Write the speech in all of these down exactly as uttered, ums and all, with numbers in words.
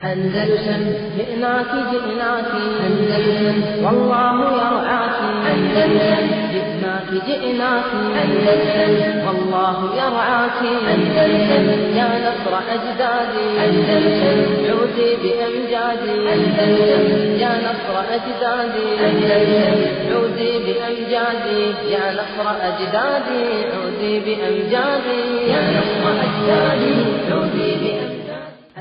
أندلسن جئناك جئناك أندلسن والله يرعاك أندلسن جئناك جئناك أندلسن والله يرعاك أندلسن يا نصر أجدادي أندلسن عودي بأمجادي أندلسن يا نصر أجدادي أندلسن عودي بأمجادي يا نصر أجدادي عودي بأمجادي يا نصر أجدادي عودي بأمجادي.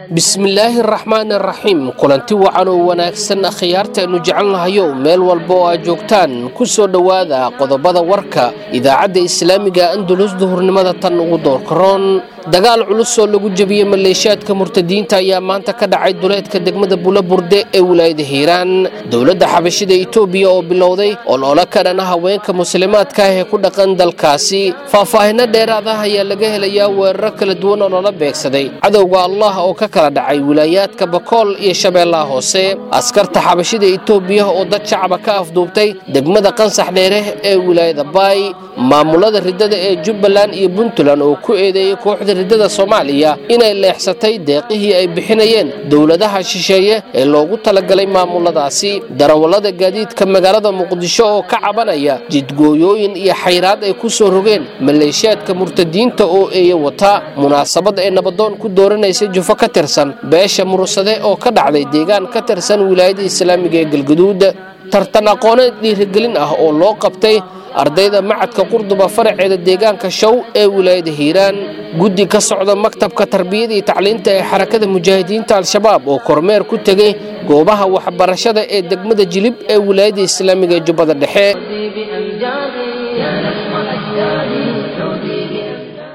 Bismillaahi araxmaani araxiim. Kulanti wacan oo wanaagsan, akhyaartaaynu jecelnahayo, meel walba oo aad joogtaan, ku soo dhowaada qodobada warka Idaacadda Islaamiga Andalus duhurnimada tan ugu doorkaroon. Dagaal culus oo lagu jebiyey maleeshiyaadka murtadiinta ayaa maanta ka dhacay duleedka degmada Bulaburde ee wilaayada Hiiraan. Dowladda Xabashida Itoobiya oo bilowday olole ka dhana haweenka muslimaadka ah ee ku dhaqan dalkaasi. Faahfaahino dheeraad ah ayaa laga helayaa weeraro kala duwan oo lala beegsaday cadowga Allah oo ka kala dhacay wilaayaadka Bakool iyo Shabeellaha Hoose. Askarta Xabashida Itoobiya oo dad shacaba ka afduubtay degmada Qansax Dheere ee wilaayada Baay. Maamulada ridada ee Jubbaland iyo Puntland oo ku eedeeyey kooxda ridada Soomaaliya inay leexsatay deeqihii ay bixinayeen dowladaha shisheeye ee loogu talagalay maamuladaasi. Darawallada gaadiidka magaalada Muqdisho oo ka cabanaya jidgooyooyin iyo xayraad ay ku soo rogeen maleeshiyaadka murtadiinta oo eeya wata. Munaasabad ay nabadoon ku dooranaysay jufo ka tirsan beesha Mursade oo ka dhacday deegaan ka tirsan wilaayada islaamiga ee Galgaduud. Tartan aqooneed dhiirigelin ah oo loo qabtay ardayda Macadka Qurduba faraceeda deegaanka Show ee wilaayada Hiiraan. Guddi ka socda maktabka tarbiyada iyo tacliinta ee Xarakada Mujaahidiinta Al-Shabaab oo kormeer ku tegey goobaha waxbarashada ee degmada Jilib ee wilaayada islaamiga ee Jubbada Dhexe. عودي بأمجادي يا نصر أجدادي عودي بأمجادي.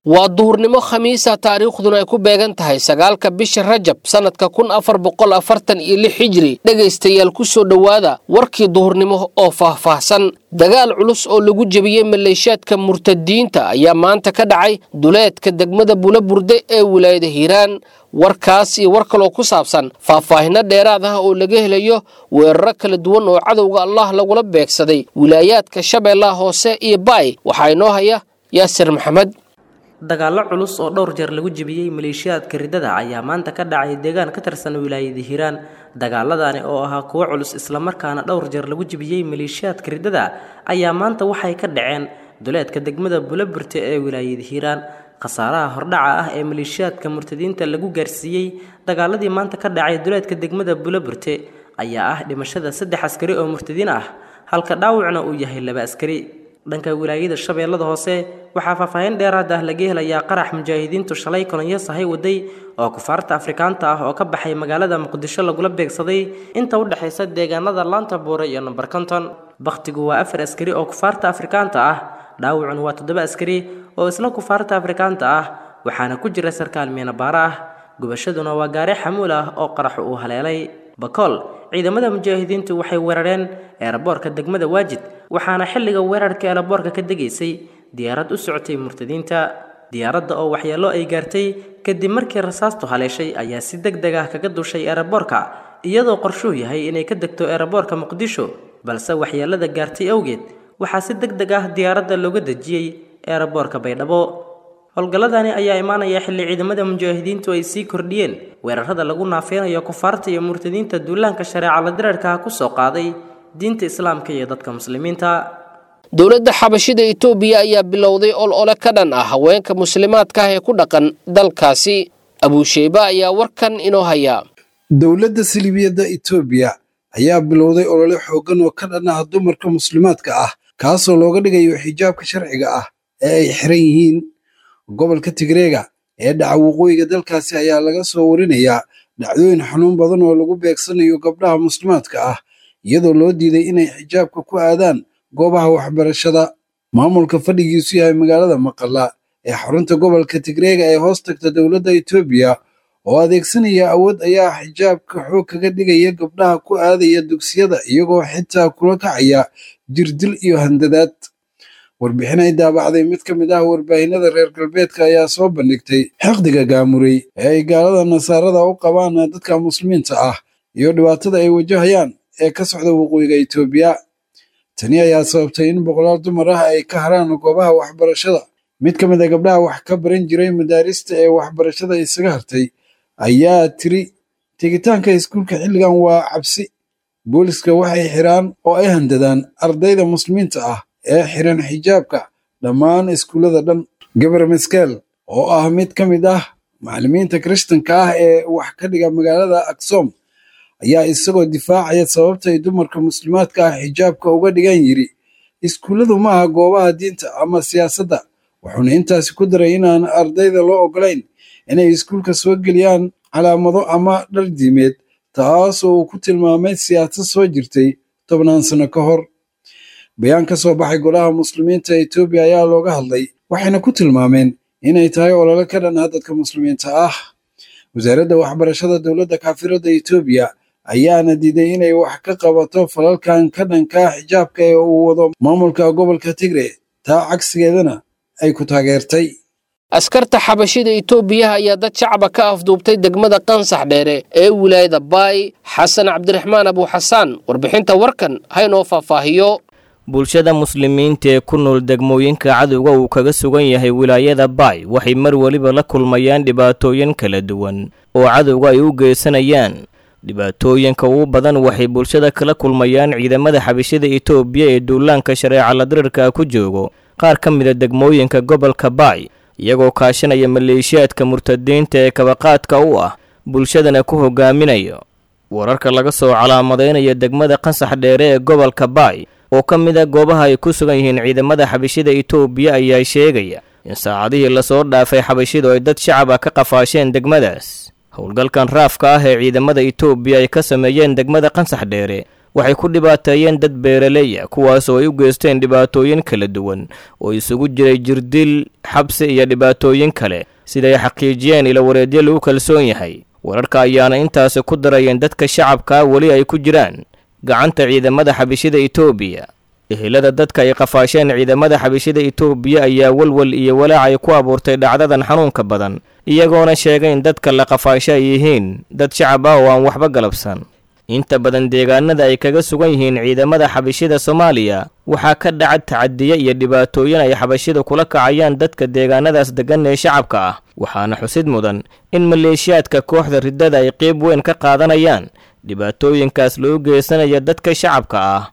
Waa duhurnimo Khamiisa, taariikhduna ay ku beegan tahay sagaalka bisha Rajab, sanadka kun afar boqol afartan iyo lix hijri. Dhegaystayaal, ku soo dhowaada warkii duhurnimo oo faahfaahsan. Dagaal culus oo lagu jebiyey maleeshiyaadka murtadiinta ayaa maanta ka dhacay duleedka degmada Bulaburde ee wilaayada Hiiraan. Warkaas iyo war kaloo ku saabsan faahfaahino dheeraad ah oo laga helayo weeraro kala duwan oo cadowga Allah lagula beegsaday wilaayaadka Shabeellaha Hoose iyo Baay, waxaa inoo haya Yaasir Maxamed. Dagaallo culus oo dhowr jeer lagu jebiyey maleeshiyaadka ridada ayaa maanta ka dhacay deegaan ka tirsan wilaayada Hiiraan. Dagaaladani oo ahaa kuwo culus islamarkaana dhowr jeer lagu jebiyey maleeshiyaadka ridada ayaa maanta waxay ka dhaceen duleedka degmada Bulaburte ee wilaayada Hiiraan. Khasaaraha hordhaca ah ee maleeshiyaadka murtadiinta lagu gaarsiiyey dagaaladii maanta ka dhacay duleedka degmada Bulaburte ayaa ah dhimashada saddex askari oo murtadiin ah, halka dhaawacna uu yahay laba askari. Dhanka wilaayada Shabeellada Hoose, waxaa faahfaahin dheeraad ah laga helayaa qarax mujaahidiintu shalay kolonyo sahay waday oo kufaarta Afrikaanta ah oo ka baxay magaalada Muqdisho lagula beegsaday inta u dhexaysa deegaanada Laanta Buure iyo Nambar Konton. Bakhtigu waa afar askari oo kufaarta Afrikaanta ah, dhaawacuna waa toddoba askari oo isla kufaarta Afrikaanta ah, waxaana ku jira sarkaal miinabaara ah. Gubashaduna waa gaari xamuul ah oo qaraxu uu haleelay. Bakool, ciidamada mujaahidiintu waxay weerareen eeraboorka degmada Waajid, waxaana xilliga weerarka eeraboorka ka degaysay diyaarad u socotay murtadiinta. Diyaaradda oo waxyeello ay gaartay kadib markii rasaastu haleeshay ayaa si deg deg ah kaga dushay eeraboorka, iyadoo qorshuhu yahay inay ka degto eeraboorka Muqdisho, balse waxyeellada gaartay awgeed waxaa si deg deg ah diyaaradda looga dejiyey eeraboorka Baydhabo. Howlgalladani ayaa imaanaya xilli ciidamada mujaahidiintu ay sii kordhiyeen weerarada lagu naafeynayo kufaarta iyo murtadiinta duulaanka shareeca la diriirka ku soo qaaday diinta islaamka iyo dadka muslimiinta. Dowladda Xabashida Itoobiya ayaa bilowday ol ole ka dhan ah haweenka muslimaadka ah ee ku dhaqan dalkaasi. Abuusheyba ayaa warkan inoo haya. Dowladda Silibiyadda Itoobiya ayaa bilowday olole xooggan oo ka dhan ah dumarka muslimaadka ah, kaasoo looga dhigayo xijaabka sharciga ah ee ay xiran yihiin. Gobolka Tigreega ee dhaca waqooyiga dalkaasi ayaa laga soo warinayaa dhacdooyin xanuun badan oo lagu beegsanayo gabdhaha muslimaadka ah, iyadoo loo diiday inay xijaabka ku aadaan goobaha waxbarashada. Maamulka fadhigiisu yahay magaalada Maqala ee xarunta gobolka Tigreega ee hoos tagta dowladda Itoobiya oo adeegsanaya awood ayaa xijaabka xoog kaga dhigaya gabdhaha ku aadaya dugsiyada, iyagoo xitaa kula kacaya jirdil iyo handadaad. Warbixin ay daabacday mid ka mid ah warbaahinada reer galbeedka ayaa soo bandhigtay xiqdiga gaamurey ee ay gaalada nasaarada u qabaan dadka muslimiinta ah iyo dhibaatada ay wajahayaan ee ka socda waqooyiga Itoobiya. Tani ayaa sababtay in boqolaal dumar ah ay ka haraan goobaha waxbarashada. Mid ka mid a gabdhaha wax ka baran jiray madaarista ee waxbarashada isaga hartay ayaa tiri: Tegitaanka iskuulka xilligan waa cabsi. Booliska waxay xiraan oo ay handadaan ardayda muslimiinta ah ee xiran xijaabka dhammaan iskuullada dhan. Gabar Meskel oo ah mid ka mid ah macallimiinta Kirishtanka ah ee wax ka dhiga magaalada Aksom ayaa isagoo difaacaya sababta ay dumarka muslimaadka ah xijaabka uga dhigan yiri, iskuulladu maaha goobaha diinta ama siyaasadda. Wuxuuna intaasi ku daray inaan ardayda loo ogolayn inay iskuulka soo geliyaan calaamado ama dhar diimeed, taas oo uu ku tilmaamay siyaasad soo jirtay tobnaan sano ka hor. Bayaan ka soo baxay golaha muslimiinta Etoobiya ayaa looga hadlay, waxayna ku tilmaameen inay tahay olole ka dhan ah dadka muslimiinta ah. Wasaaradda waxbarashada dowladda kaafiradda Etoobiya ayaana diiday inay wax ka qabato falalkan ka dhanka ah xijaabka ee uu wado maamulka gobolka Tigre, taa cagsigeedana ay ku taageertay. Askarta xabashida Itoobiya ayaa dad shacaba ka afduubtay degmada Qansax Dheere ee wilaayada Baay. Xasan Cabdiraxmaan Abu Xasaan warbixinta warkan haynoo faahfaahiyo. Bulshada muslimiinta ee ku nool degmooyinka cadowga uu kaga sugan yahay wilaayada Baay waxay mar weliba la kulmayaan dhibaatooyin kala duwan oo cadowga ay u geysanayaan. Dhibaatooyinka ugu badan waxay bulshada kala kulmayaan ciidamada xabashida Itoobiya ee duulaanka shareeca la dirirka ku joogo qaar ka mid a degmooyinka gobolka Baay, iyagoo kaashanaya maleeshiyaadka murtadiinta ee kabaqaadka u ah bulshadana ku hogaaminayo. Wararka laga soo calaamadeynaya degmada Qansax Dheere ee gobolka Baay oo ka mid ah goobaha ay ku sugan yihiin ciidamada xabashida Itoobiya ayaa sheegaya in saacadihii lasoo dhaafay xabashidu ay dad shacab ah ka qafaasheen degmadaas. Howlgalkan raafka ah ee ciidamada Itoobiya ay ka sameeyeen degmada Qansax Dheere waxay ku dhibaateeyeen dad beeraley ah, kuwaas oo ay u geysteen dhibaatooyin kala duwan oo isugu jiray jirdil, xabsi iyo dhibaatooyin kale, siday xaqiijiyeen ilo wareedyo lagu kalsoon yahay. Wararka ayaana intaasi ku darayeen dadka shacabkaa weli ay ku jiraan gacanta ciidamada xabashida Itoobiya. Ehelada dadka ay qafaasheen ciidamada xabashida Itoobiya ayaa walwal iyo walaac ay ku abuurtay dhacdadan xanuunka badan, iyagoona sheegay in dadka la qafaasho ay yihiin dad shacab ah oo aan waxba galabsan. Inta badan deegaanada ay kaga sugan yihiin ciidamada xabashida Soomaaliya waxaa ka dhaca tacadiye iyo dhibaatooyin ay xabashida kula kacayaan dadka deegaanadaas degan ee shacabka ah, waxaana xusid mudan in maleeshiyaadka kooxda riddada ay qeyb weyn ka qaadanayaan dhibaatooyinkaas loo geysanaya dadka shacabka ah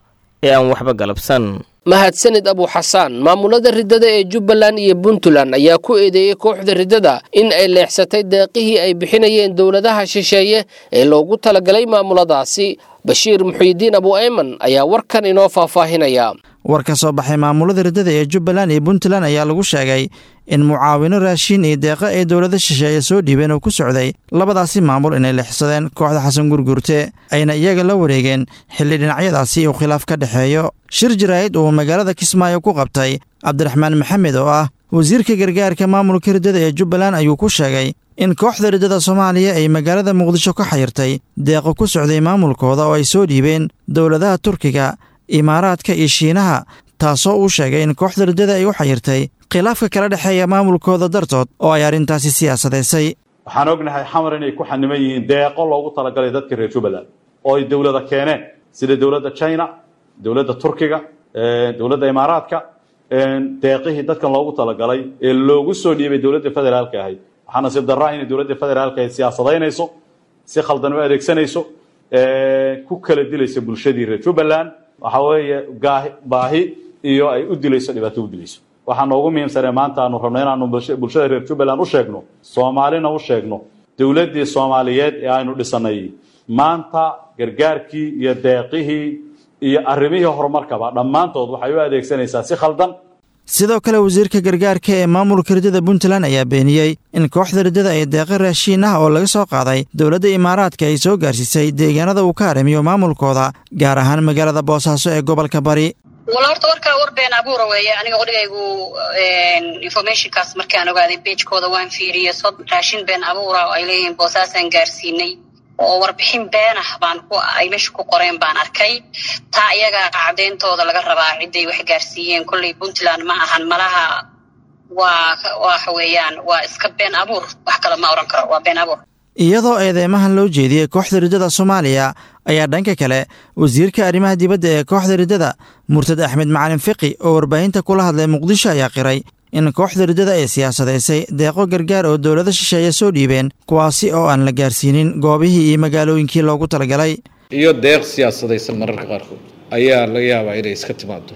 ee aan waxba galabsan. Mahadsanid Abu Xasaan. Maamulada riddada ee Jubbaland iyo Puntland ayaa ku eedeeyey kooxda riddada in ay leexsatay deeqihii ay bixinayeen dowladaha shisheeye ee loogu talagalay maamuladaasi. Bashiir Muxyidiin Abu Ayman ayaa warkan inoo faahfaahinaya. War ka soo baxay maamulada riddada ee Jubbaland iyo Puntland ayaa lagu sheegay in mucaawino raashiin iyo deeqo ay dowlada shisheeye soo dhiibeen oo ku socday labadaasi maamul inay leexsadeen kooxda Xasan Gurgurte, ayna iyaga la wareegeen xilli dhinacyadaasi uu khilaaf ka dhexeeyo. Shir jaraa'id uu magaalada Kismaayo ku qabtay Cabdiraxmaan Maxamed oo ah wasiirka gargaarka maamulka riddada ee Jubbaland ayuu ku sheegay in kooxda riddada Soomaaliya ay magaalada Muqdisho ka xayirtay deeqo ku socday maamulkooda oo ay soo dhiibeen dowladaha Turkiga, Imaaraadka iyo Shiinaha, taasoo uu sheegay in kooxda riddada ay u xayirtay khilaafka kala dhexeeya maamulkooda dartood oo ay arrintaasi siyaasadaysay. Waxaan ognahay xamar inay ku xaniman yihiin deeqo loogu talagalay dadka reer Jubbaland oo ay dowlada keeneen, sida dowladda China, dowladda Turkiga, dowladda Imaaraadka. Deeqihii dadkan loogu talagalay ee loogu soo dhiibay dowladda federaalka ahayd, waxaa nasiib darraa inay dowladda federaalka ahayd siyaasadaynayso, si khaldan u adeegsanayso, ku kala dilayso bulshadii reer Jubbaland. Waxaa weeye baahi iyo ay u dilayso, dhibaato u dilayso. Waxaa noogu muhiimsanee maanta aanu rabno inaanu bulshada reer Jubbaland u sheegno, Soomaalina u sheegno, dowladdii Soomaaliyeed ee aynu dhisanay maanta gargaarkii iyo deeqihii iyo arrimihii horumarkaba dhammaantood waxay u adeegsanaysaa si khaldan. Sidoo kale wasiirka gargaarka ee maamulka riddada Puntland ayaa beeniyey in kooxda riddada ay deeqo raashiin ah oo laga soo qaaday dowladda Imaaraadka ay soo gaarsiisay deegaanada uu ka haramiyo maamulkooda, gaar ahaan magaalada Boosaaso ee gobolka Bari. Wala horta warkaa war been abuura weeye. Aniga odhigaygu informationkaas markaan ogaaday beejkooda waan fiiriyey, sod raashin been abuura oo ay leeyihiin Boosaasaan gaarsiinay oo warbixin been ah baan ku ay meesha ku qoreen baan arkay. Taa iyaga cadeyntooda laga rabaa ciday wax gaarsiiyeen. Kolley Puntland ma ahan, malaha waa waxa weeyaan waa iska been abuur, wax kale ma oran karo, waa been abuur. Iyadoo eedeymahan loo jeediyey kooxda riddada Soomaaliya ayaa dhanka kale wasiirka arrimaha dibadda ee kooxda riddada murtad Axmed Macalin Fiqi oo warbaahinta kula hadlay Muqdisho ayaa qiray In kooxda riddada ay siyaasadaysay deeqo gargaar oo dowlado shisheeye soo dhiibeen, kuwaasi oo aan la gaarsiinin goobihii iyo magaalooyinkii loogu talagalay. Iyo deeq siyaasadaysan mararka qaarkood ayaa laga yaabaa inay iska timaado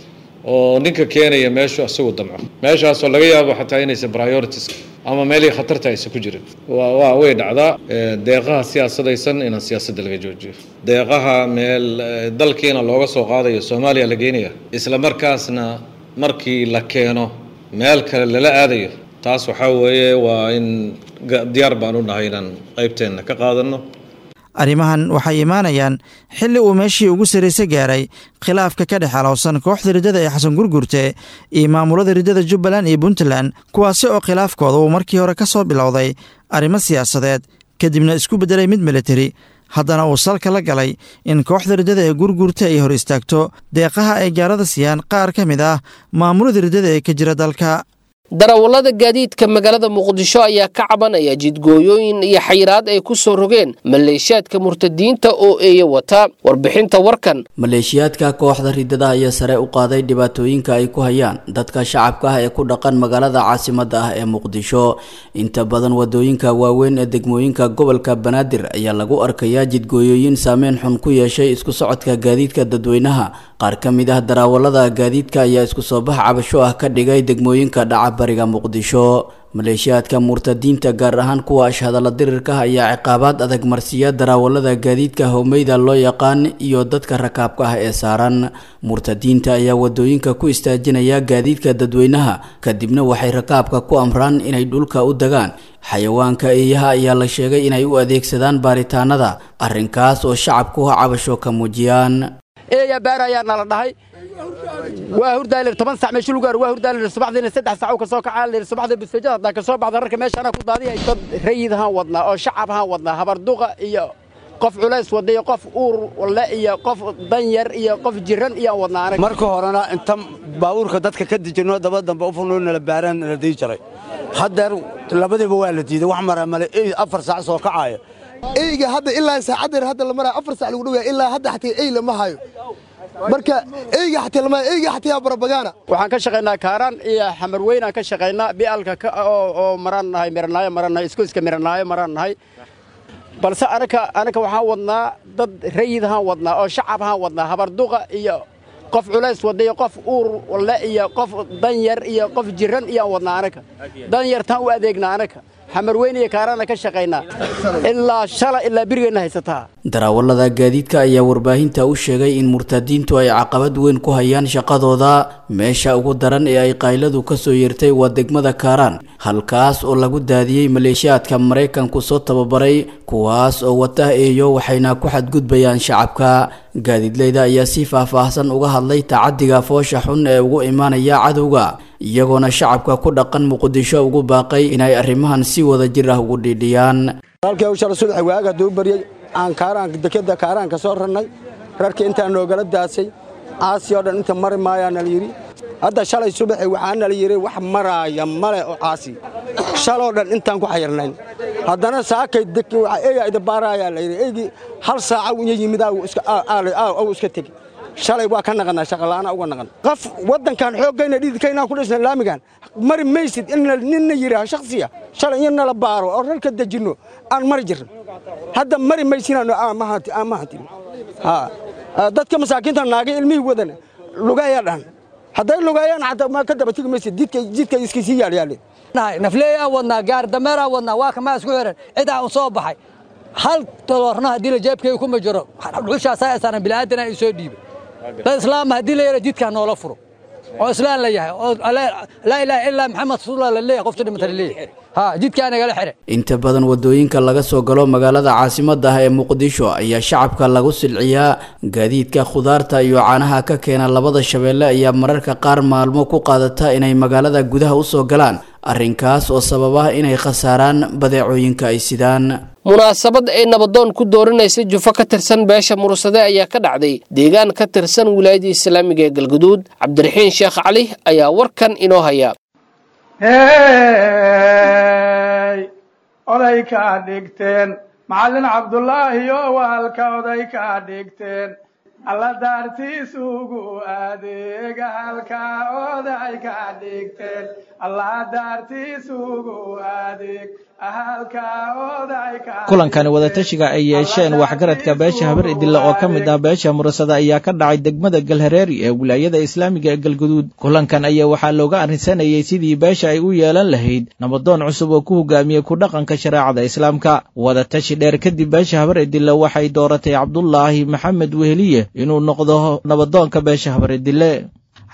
oo ninka keenaya meeshu isagu damco, meeshaasoo laga yaabo xataa inaysan priorities ama meelihii khatarta aysan ku jirin. Waa way dhacdaa deeqaha siyaasadaysan inaan siyaasadda laga joojiyo, deeqaha meel dalkiina looga soo qaadayo Soomaaliya la geenaya, isla markaasna markii la keeno meel kale lala aadayo. Taas waxaa weeye waa in diyaar baan u nahay inaan qaybteenna ka qaadanno. Arrimahan waxay imaanayaan xilli uu meeshii ugu sarraysa gaaray khilaafka ka dhex alowsan kooxda riddada ee Xasan Gurgurte iyo maamulada riddada Jubbaland iyo Puntland, kuwaasi oo khilaafkooda uu markii hore ka soo bilowday arrimo siyaasadeed, kadibna isku beddelay mid militari, haddana uu salka la galay in kooxda riddada ee Gurgurta ay hor istaagto deeqaha ay gaalada siiyaan qaar ka mid ah maamulada riddada ee ka jira dalka. Darawallada gaadiidka magaalada Muqdisho ayaa ka cabanaya jidgooyooyin iyo xayiraad ay ku soo rogeen maleeshiyaadka murtadiinta oo eeya wata. Warbixinta warkan. Maleeshiyaadka kooxda riddada ayaa sare u qaaday dhibaatooyinka ay ku hayaan dadka shacabka ah ee ku dhaqan magaalada caasimadda ah ee Muqdisho. Inta badan wadooyinka waaweyn ee degmooyinka gobolka Banaadir ayaa lagu arkayaa jidgooyooyin saameyn xun ku yeeshay isku socodka gaadiidka dadweynaha. Qaar ka mid ah darawallada gaadiidka ayaa isku soo bax cabasho ah ka dhigay degmooyinka dhaca bariga Muqdisho. Maleeshiyaadka murtadiinta, gaar ahaan kuwa ashhadalla dirirka, ayaa ciqaabaad adag marsiiya darawallada gaadiidka howmeyda loo yaqaan iyo dadka rakaabka ah ee saaran. Murtadiinta ayaa wadooyinka ku istaajinaya gaadiidka dadweynaha, kadibna waxay rakaabka ku amraan inay dhulka u dagaan. Xayawaanka eeyaha ayaa la sheegay inay u adeegsadaan baaritaanada, arrinkaas oo shacabku cabasho ka muujiyaan. Eeya baar ayaa nala dhahay, waa hurdaalir toban sac meesha lagu gaaro, waa hurdaalir subaxdiina saddex sac ka soo kacaa lir subaxdii bustajada haddaa ka soo baxda rarka meesha anaa ku daadiyay. Dad rayid ahaan wadnaa oo shacab ahaan wadnaa, habarduqa iyo qof culays wada iyo qof uur le iyo qof danyar iyo qof jiran iyo wadnaa anaga. Marka horena inta baabuurka dadka ka dejino daba dambe u furnoo nala baaraan nala dii jiray, haddeer labadiiba waa la diiday, wax maraa male afar saac soo kacaaya. Eyga hadda ilaa saacaddeer hadda la maraayo afar saac lagu dhowyaa, ilaa hadda xataa ey lama hayo. Marka eyga xataa lama eyga xataa barabagaana. Waxaan ka shaqaynaa Kaaraan iyo Xamarweyn aan ka shaqaynaa, bialka oo oo maraan nahay, miranaayo maraan nahay, isku iska miranaayo maraan nahay. Balse anaka anaka waxaan wadnaa dad rayid ahaan wadnaa oo shacab ahaan wadnaa, habarduqa iyo qof culays wada iyo qof uur le iyo qof danyar iyo qof jiran iyo wadnaa anaka. Danyartaan u adeegnaa anaka, Xamarweyn iyo Kaaraana ka shaqaynaa, ilaa shala ilaa birigeena haysataa. Darawallada gaadiidka ayaa warbaahinta u sheegay in murtadiintu ay caqabad weyn ku hayaan shaqadooda. Meesha ugu daran ee ay qayladu ka soo yeertay waa degmada Kaaraan, halkaas oo lagu daadiyey maleeshiyaadka Maraykanku soo tababaray, kuwaas oo wata eeyo, waxayna ku xadgudbayaan shacabka. Gaadiidleyda ayaa si faahfaahsan uga hadlay tacadiga foosha xun ee ugu imaanaya cadowga, iyagoona shacabka ku dhaqan Muqdisho ugu baaqay inay arrimahan si wada jir ah ugu dhiidhiyaan. Halkii hawsha subax waaga hadduu baryay aan Kaaraan dekeda Kaaraan ka soo rarnay, rarkii intaan noogala daasay caasi oo dhan inta mari maayaa nala yidhi. Hadda shalay subaxi waxaa nala yidhi wax maraaya male oo caasi, shaloo dhan intaan ku xayirnayn. Haddana saakay eeyaa idabaaraayaa la yidhi, eygii hal saaca unya yimid aw iska tegi. Shalay waa ka naqanaa, shaqala'aana uga naqan. Qof waddankan xooggayna dhididkaynaan ku dhisnay laamigan mari maysid in ninna yidhaaho shakhsiya shalay in nala baaro oo rarka dejinno aan mari jirno, hadda mari maysinaan ma hantin. Dadka masaakiinta naagay ilmihii wadana lugaaya dhan, hadday lugaayaan xataa ma ka daba tegi maysid, jidka jidka iska sii yaalyaale. Nafleeyaan wadnaa, gaar dameeraan wadnaa, waa kamaa isku xiran cidaa u soo baxay hal doolarna haddii la jeebkayga kuma jiro, dhuxushaasaa isaaran bilaadanaa i soo dhiibay. Dad islaama haddii la yara jidkaa noola furo oo islaan la yahay oo laa ilaaha illaa Maxamed rasuulullah la leeyahay, qofta dhimata la leeyahay, ha jidkaa nagala xire. Inta badan wadooyinka laga soo galo magaalada caasimadda ah ee Muqdisho ayaa shacabka lagu silciyaa. Gaadiidka khudaarta iyo caanaha ka keena labada shabeelle ayaa mararka qaar maalmo ku qaadata inay magaalada gudaha u soo galaan, arrinkaas oo sababa inay khasaaraan badeecooyinka ay sidaan. Munaasabad ay nabadoon ku dooranaysa jufo ka tirsan beesha Mursade ayaa ka dhacday deegaan ka tirsan wilaayada islaamiga ee Galguduud. Cabdiraxiin Sheekh Cali ayaa warkan inoo haya. Hey, oday kaa dhigteen Macallin Cabdulaahi oo waalka oday kaa dhigteen. Alla daartiisugu adeega halka oday ka dhigteen. Alla daartiisugu adeeg halka oday ka. Kulankani wadatashiga ay yeesheen waxgaradka beesha Habar Idille oo ka mid ah beesha Murasada ayaa ka dhacay degmada Galhareeri ee wilaayada islaamiga ee Galguduud. Kulankan ayaa waxaa looga arrinsanayay sidii beesha ay u yeelan lahayd nabadoon cusub oo ku hogaamiyey ku dhaqanka shareecada islaamka. Wadatashi dheer kadib, beesha Habar Idille waxay dooratay Cabdulaahi Maxamed Weheliye inuu noqdo nabadoonka beesha Habar Idille.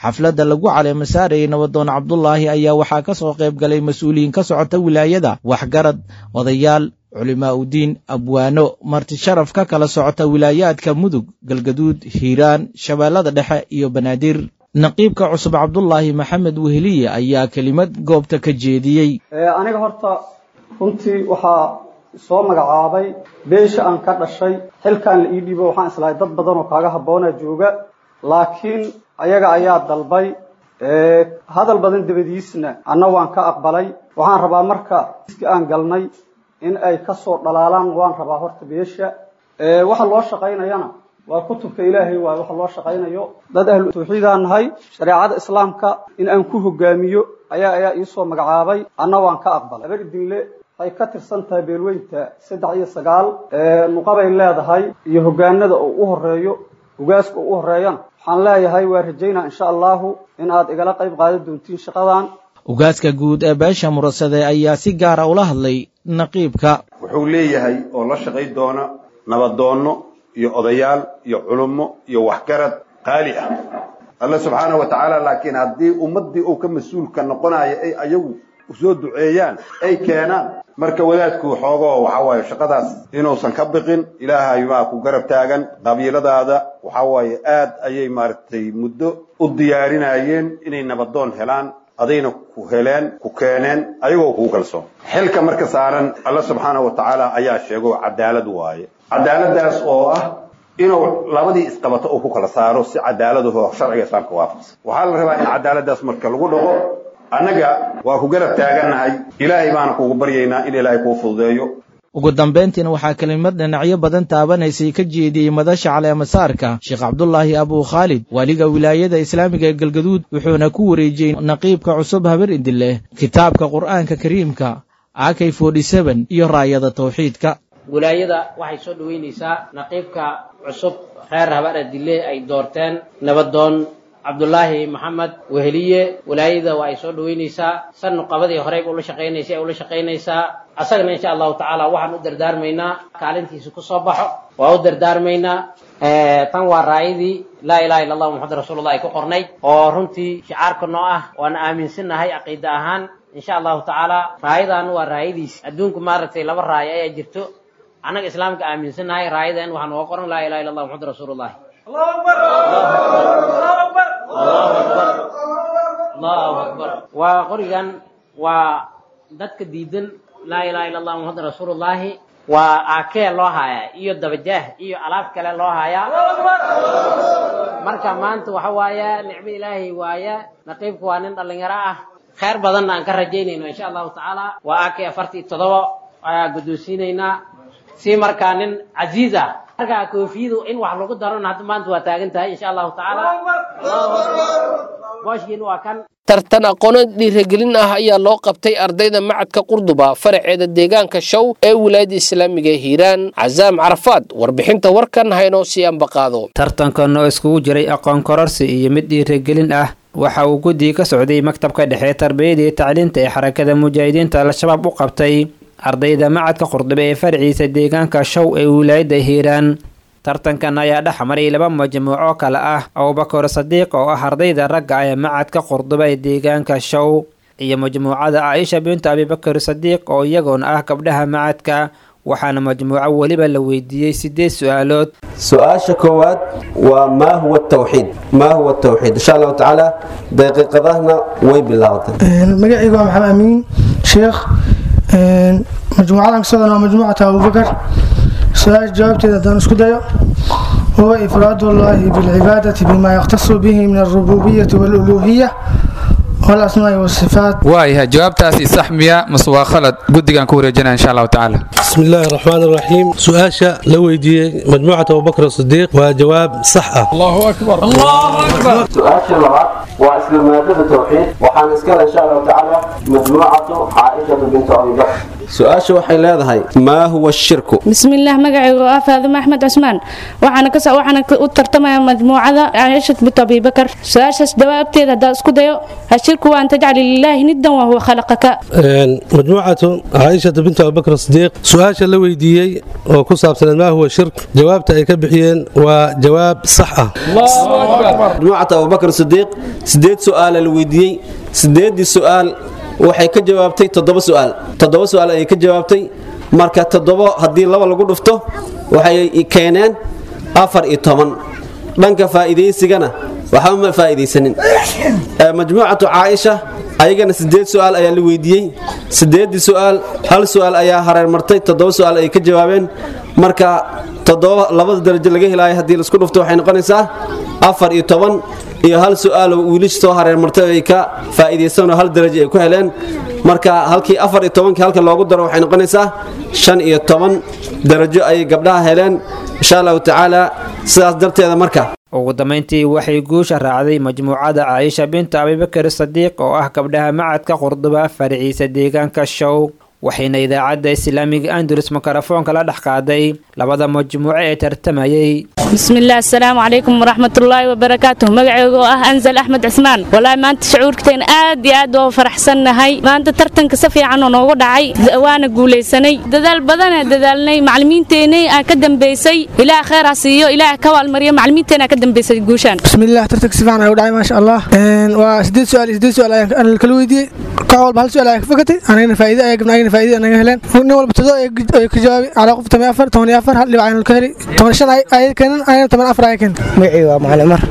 Xafladda lagu caleema saarayay nabadoon Cabdulaahi ayaa waxaa ka soo qayb galay mas-uuliyiin ka socota wilaayada, waxgarad, odayaal, culimaa udiin, abwaano, marti sharaf ka kala socota wilaayaadka Mudug, Galgaduud, Hiiraan, Shabeellada Dhexe iyo Banaadir. Naqiibka cusub Cabdulaahi Maxamed Weheliye ayaa kelimad goobta ka jeediyey. Aniga horta runtii waxaa soo magacaabay beesha aan ka dhashay. Xilkaan la ii dhiibo waxaan islahay dad badan oo kaaga habboona jooga, laakiin ayaga ayaa dalbay. Hadal badan dabadiisna anna waan ka aqbalay. Waxaan rabaa marka iski aan galnay in ay ka soo dhalaalaan. Waan rabaa horta beesha waxa loo shaqaynayana waa kutubka Ilaahay, waayo waxa loo shaqaynayo dad ahlu tawxiidaan nahay. Shareecada islaamka in aan ku hogaamiyo ayaa ayaa iisoo magacaabay, anna waan ka aqbalay. Habar Idinle waxay ka tirsan tahay beelweynta saddex iyo sagaal nuqabay leedahay iyo hogaanada oo u horeeyo ugaaska oo u horeeyana. Waxaan leeyahay waa rajaynaa insha Allahu in aad igala qayb qaadan doontiin shaqadan. Ugaaska guud ee beesha Murasade ayaa si gaara ula hadlay naqiibka. Wuxuu leeyahay oo la shaqay doona nabadoonno iyo odayaal iyo culummo iyo waxgarad qaali ah Alla subxaana wa tacaala. Laakiin haddii ummaddii uu ka mas-uulka noqonayo ay ayagu soo duceeyaan ay keenaan, marka wadaadku xoogoo waxa waaye shaqadaas inuusan ka biqin. Ilaahay baa ku garab taagan. Qabiiladaada waxa waaye aad ayay maaragtay muddo u diyaarinayeen inay nabadoon helaan, adayna ku heleen, ku keeneen ayagoo kugu kalsoon. Xilka marka saaran Alla subxaana wa tacaala ayaa sheego cadaalad waaye, cadaaladdaas oo ah inuu labadii isqabato uu ku kala saaro si cadaaladaho sharciga islaamka waafaqsan. Waxaa la rabaa in cadaaladdaas marka lagu dhaqo. Annaga waa ku garab taagannahay, Ilaahay baana kugu baryaynaa in Ilaahay kuu fududeeyo. Ugu dambayntiina waxaa kelimad dhinacyo badan taabanaysay ka jeediyey madasha caleemasaarka Sheekh Cabdulaahi Abuu Khaalid, waaliga wilaayada islaamiga ee Galgaduud, wuxuuna ku wareejiyey naqiibka cusub Habar Idille kitaabka Qur'aanka Kariimka, A K iyo raayada tawxiidka. Wilaayada waxay soo dhoweynaysaa naqiibka cusub reer Habar Idille ay doorteen, nabadoon Cabdulaahi Maxamed Weheliye. Wilaayada waa ay soo dhoweynaysaa, san nuqabadii horeyba ula shaqaynaysay ay ula shaqaynaysaa. Asagana insha Allahu tacaala waxaan u dardaarmaynaa kaalintiisa ku soo baxo, waa u dardaarmaynaa. Tan waa raayadii laa ilaha illa Allah Muxamad rasuulullah ay ku qornayd oo runtii shicaarka noo ah, waana aaminsannahay caqiida ahaan insha Allahu tacaala. Raayadan waa raayadiis adduunku maaragtay laba raayo ayaa jirto, annaga islaamka aaminsannahay. Raayadan waxaa nooga qoran laa ilaha illa Allah Muxamad rasuulullah. Allahu akbar. Waa qorigan waa dadka diidan laa ilaha illa Allah Muxamad rasuulullahi, waa aakee loo hayaa iyo dabajaah iyo alaab kale loo hayaa. Marka maanta waxa waaye nicmo Ilaahay waaye. Naqiibku waa nin dhallinyaro ah, khayr badanna aan ka rajaynayno insha Allahu tacaala. Waa aakee afartii toddoba ayaa guddoonsiinaynaa si markaa nin casiiz ah. Marka koofiyadu in wax lagu darona hadda maanta waa taagan tahay insha Allahu tacaala. Booshkiina waa kan. Tartan aqooneed dhiirigelin ah ayaa loo qabtay ardayda macadka Qurduba faraceeda deegaanka Show ee wilaayada islaamiga ee Hiiraan. Cazaam Carafaad warbixinta warkan haynoo sii ambaqaado. Tartankan oo iskugu jiray aqoon kororsi iyo mid dhiirigelin ah waxa uu guddiga ka socday maktabka dhexe tarbiyada iyo tacliinta ee xarakada mujaahidiinta Al-Shabaab u qabtay ardayda macadka Qurduba ee faraciisa deegaanka Show ee wilaayada Hiiraan. Tartankan ayaa dhex maray laba majmuuco kale ah, Abubakar Sadiiq oo ah ardayda ragga ee macadka Qurduba ee deegaanka Show iyo majmuucada Caaisha bintu Abibakar Sadiiq oo iyagoona ah gabdhaha macadka. Waxaana majmuuco weliba la weydiiyey sideed su-aalood. Su-aasha koowaad waa maa huwa tawxiid, maa huwa tawxiid. Insha Allahu tacaala daqiiqadahna way bilaabatay. Magacaygu waa Maxamed Amiin Sheekh, majmuucadan kasocdan waa majmuucata Abubakar. Su-aasha jawaabteeda haddaan isku dayo, huwa ifraadu Allahi bilcibaadati bima yakhtasu bihi min alrubuubiyati waaluluuhiya والأسماء والصفات. Waayahay, jawaabtaasi sax miya mase waa khalad? Guddigaan ku wareejinaya insha allahu tacaala. بسم الله الرحمن الرحيم. سؤاشا لو ويديي مجموعة أبو بكر الصديق وجواب صح. الله أكبر، الله أكبر. Su-aasha labaad waa isla maadada tawxiid, waxaana iskale insha allahu tacaala majmuucatu Caaishatu bintu Abi Bakr. Su-aasha waxay leedahay: maa huwa shirku? بسم الله، magacaygu waa Faadimo Axmed Cusmaan, waxaana ka waxaana u tartamaya majmuucada Caaisha bint Abi Bakar. Su-aashaas jawaabteeda haddaan isku dayo, ashirku waa an tajcala lilaahi niddan wa huwa khalaqaka. مجموعة عائشة بنت أبو بكر الصديق، سؤاشا لو ويديي وكصابسن ما هو الشرك، جوابته ay ka bixiyeen waa jawaab sax ah. Majmuucata Abubakar Sidiiq, sideed su-aala la weydiiyey, sideedii su-aal waxay ka jawaabtay toddoba su-aal. Toddoba su-aal ayay ka jawaabtay. Marka toddobo haddii laba lagu dhufto waxay keeneen afar iyo toban. Dhanka faa'iidaysigana waxba ma faa'iidaysanin. Ee, majmuucatu Caaisha ayagana sideed su-aal ayaa la weydiiyey, sideedii su-aal hal su-aal ayaa hareer martay, toddoba su-aal ay ka jawaabeen. Marka toddoba labada darajo laga helaayo haddii laisku dhufto waxay noqonaysaa afar iyo toban, iyo hal su-aal oo wiilasha soo hareer martay ay ka faa'iidaysan oo hal darajo ay ku heleen. Marka halkii afar iyo tobankii halka loogu daro waxay noqonaysaa shan iyo toban darajo ayay gabdhaha heleen insha allahu tacaala. Sidaas darteeda marka Ugu dambeyntii waxay guusha raacday majmuucada Caaisha binta Abibakar Sadiiq oo ah gabdhaha macadka Qurduba farciisa deegaanka Show, waxayna idaacadda islaamiga Andalus mikrofoonka la dhex qaaday labada majmuuco ee tartamayay. بسم الله، السلام عليكم ورحمة الله وبركاته. magacaygu ah Anzal Axmed Cismaan. Walaahi maanta shucuurteen aad iyo aad oo faraxsannahay. Maanta tartanka si fiican oo noogu dhacay, waana guuleysanay. Dadaal badan aan dadaalnay, macallimiinteenay aan ka dambeysay, Ilaah khayr ha siiyo, Ilaah ka waalmariyo macallimiinteena ka dambeysay guushaan. بسم الله، tartanka si fiican ayuu u dhacay, maasha Allah. Een, waa sideed su-aal iyo sideed su-aal ayaan aan kala weydiiyey. Koox walba hal su-aal ayaa ka fakatay, anagana faa'iido ayaa gabna, ayagana faa'iido anaga heleen. Nin walba todoba ay ka jawaabay, calaa qof toban iyo afar, toban iyo afar hal dhibac ayaan ka helay. Toban iyo shan ay ay keeneen, ayagana toban iyo afar ay keeneen. Magacayga waa Macalin Mar.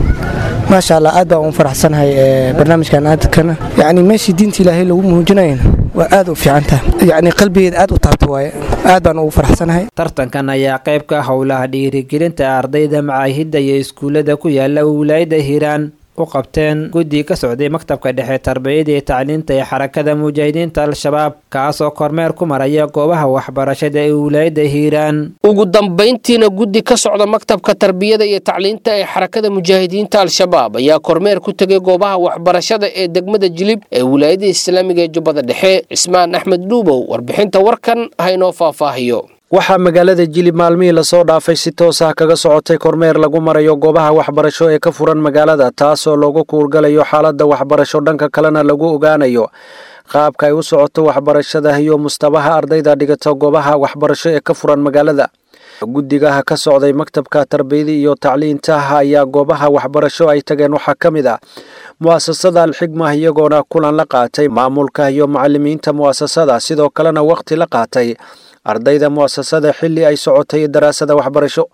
Maasha Allah, aad baan ugu faraxsanahay ee, barnaamijkan aadkana, yacni meeshii diinta Ilaahay lagu muujinayana waa aad u fiican tahay, yacni qalbigeeda aad u taabta waaye, aad baan ugu faraxsanahay. Tartankan ayaa qayb ka ah howlaha dhiirigelinta ardayda macaahidda iyo iskuullada ku yaala wilaayada Hiiraan u qabteen guddi ka socday maktabka dhexe tarbiyada iyo tacliinta ee Xarakada Mujaahidiinta Al-Shabaab, kaasoo kormeer ku maraya goobaha waxbarashada ee wilaayada Hiiraan. Ugu dambayntiina guddi ka socda maktabka tarbiyada iyo tacliinta ee Xarakada Mujaahidiinta Al-Shabaab ayaa kormeer ku tegay goobaha waxbarashada ee degmada Jilib ee wilaayada islaamiga ee Jubbada Dhexe. Cismaan Axmed Dhuubow warbixinta warkan haynoo faahfaahiyo. Waxaa magaalada Jilib maalmihii lasoo dhaafay si toos ah kaga socotay kormeer lagu marayo goobaha waxbarasho ee ka furan magaalada, taasoo loogu kuurgalayo xaaladda waxbarasho, dhanka kalena lagu ogaanayo qaabka ay u socoto waxbarashada iyo mustabaha ardayda dhigata goobaha waxbarasho ee ka furan magaalada. Guddigaha ka socday maktabka tarbiyada iyo tacliinta ayaa goobaha waxbarasho ay tageen waxaa ka mid ah mu'asasada Alxigma, iyagoona kulan la qaatay maamulka iyo macalimiinta mu'asasada, sidoo kalena waqti la qaatay ardayda mu'asasada xilli ay socotay daraasada waxbarasho.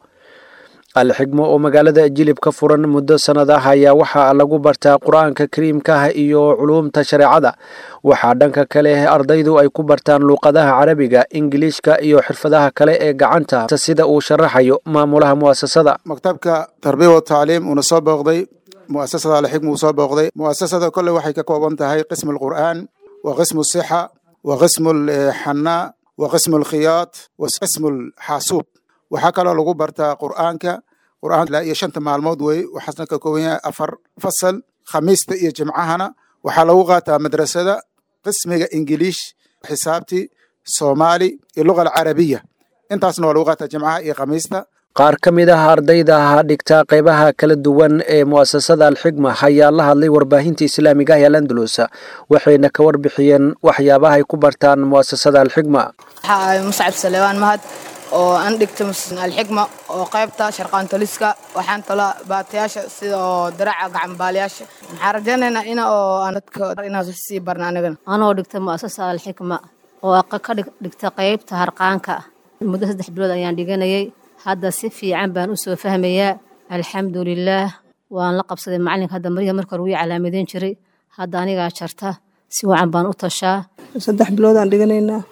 Alxigmo oo magaalada Jilib ka furan muddo sanad ah ayaa waxaa lagu bartaa Qur-aanka kariimka ah iyo culuumta shareecada. Waxaa dhanka kale ardaydu ay ku bartaan luuqadaha Carabiga, Ingiliishka iyo xirfadaha kale ee gacanta, sida uu sharaxayo maamulaha mu'asasada. Maktabka tarbiya wa tacliim uuna soo booqday mu'asasada Alxikma uu soo booqday. Mu'asasada kolle waxay ka kooban tahay qismu alqur'aan wa qismu sixa wa qismu alxanaa wa qismu alkhiyaat wa qismu alxaasuub. Waxaa kaloo lagu bartaa qur'aanka, qur'aan ilaa iyo shanta maalmood wey, waxaasna ka kooban yahay afar fasal. Khamiista iyo Jimcahana waxaa lagu qaataa madrasada qismiga Ingiliish, xisaabti, Soomaali iyo luga alcarabiya. Intaasna waa lagu qaataa Jimcaha iyo Khamiista. Qaar ka mid ah ardayda dhigta qaybaha kala duwan ee mu'asasada Alxigma ayaa la hadlay warbaahinta islaamiga ah ee Al-Andalus, waxayna ka warbixiyeen waxyaabaha ay ku bartaan mu'asasada Alxigma. Waxaa ahay Muscab Salewaan Mahad oo aan dhigta Alxigma oo qaybta sharqaantoliska. Waxaan tolaa baatayaasha sida oo daraca gacanbaalayaasha. Maxaan rajaynaynaa ina oo aan dadka inaan sii barna anagana. Anoo dhigta mu'asasa Alxikma oo ka dhigta qaybta harqaanka, muddo saddex bilood ayaan dhiganayay. Hadda si fiican baan u soo fahmayaa, alxamdulilaah. Waan la qabsaday macalinka. Hadda maryaha marka hore wii calaamadeyn jiray, hadda anigaa jarta, si wacan baan u tashaa. Saddex bilood aan dhiganaynaa,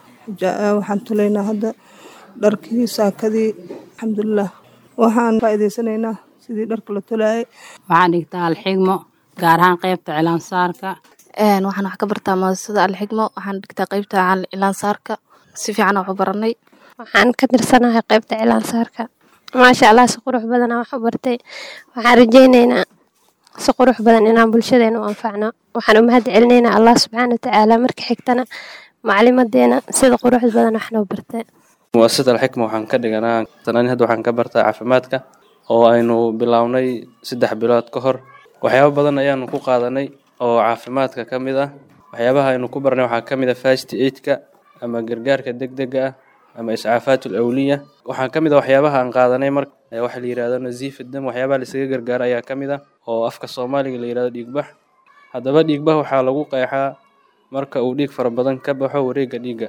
waxaan tolaynaa hadda dharkii saakadii, alxamdulilah. Waxaan faa'iidaysanaynaa sidii dharka la tolaayay. Waxaan dhigtaa Alxigmo, gaar ahaan qaybta cilaansaarka. Waxaan wax ka bartaa muasasada Alxikma. Waxaan dhigtaa qeybta cilaansaarka, si fiican wax u baranay. Waxaan ka tirsanahay qeybta cilaansaarka. Maasha Allah, si qurux badan aan wax u bartay. Waxaan rajaynaynaa si qurux badan inaan bulshadeena u anfacno. Waxaan u mahad celinaynaa Allah subxaana watacaala, marka xigtana macalimadeena sida quruxda badan wax noo bartay. Muasasada Alxikma waxaan ka dhiganaa sanani, hadda waxaan ka bartaa caafimaadka oo aynu bilownay saddex bilood ka hor. Waxyaabo badan ayaanu ku qaadanay oo caafimaadka ka mid ah. Waxyaabaha aynu ku barnay waxaa ka mid ah first aid-ka ama gargaarka degdega ah ama iscaafaat awliya. Waxaa ka mid ah waxyaabaha aan qaadanay mar waxa la yidhahdo nasiif dam, waxyaabaha la isaga gargaaro ayaa ka mid ah oo afka Soomaaliga la yidhahdo dhiigbax. Haddaba dhiigbax waxaa lagu qeexaa marka uu dhiig fara badan ka baxo wareegga dhiigga,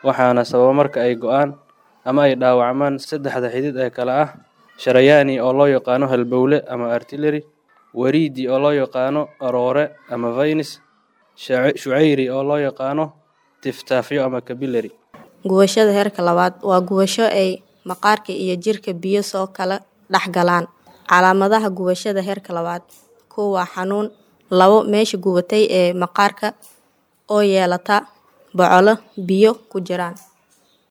waxaana sababa marka ay go'aan ama ay dhaawacmaan saddexda xidid ee kala ah sharayaani oo loo yaqaano halbowle ama artillery, wariidi oo loo yaqaano aroore ama veins, shucayri oo loo yaqaano tiftaafyo ama capillary. Gubashada heerka labaad waa gubasho ay maqaarka iyo jirka biyo soo kala dhex galaan. Calaamadaha gubashada heerka labaad: kow waa xanuun, labo meesha gubatay ee maqaarka oo yeelata bocolo biyo ku jiraan.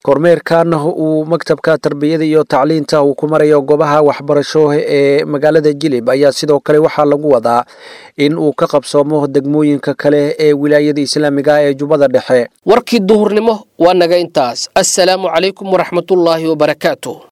Kormeerkan uu maktabka tarbiyada iyo tacliinta uu ku marayo goobaha waxbarasho ee magaalada Jilib ayaa sidoo kale waxaa lagu wadaa in uu ka qabsoomo degmooyinka kale ee wilaayada islaamiga ee Jubbada Dhexe. Warkii duhurnimo waa naga intaas. Assalaamu calaykum waraxmatullaahi wabarakaatu.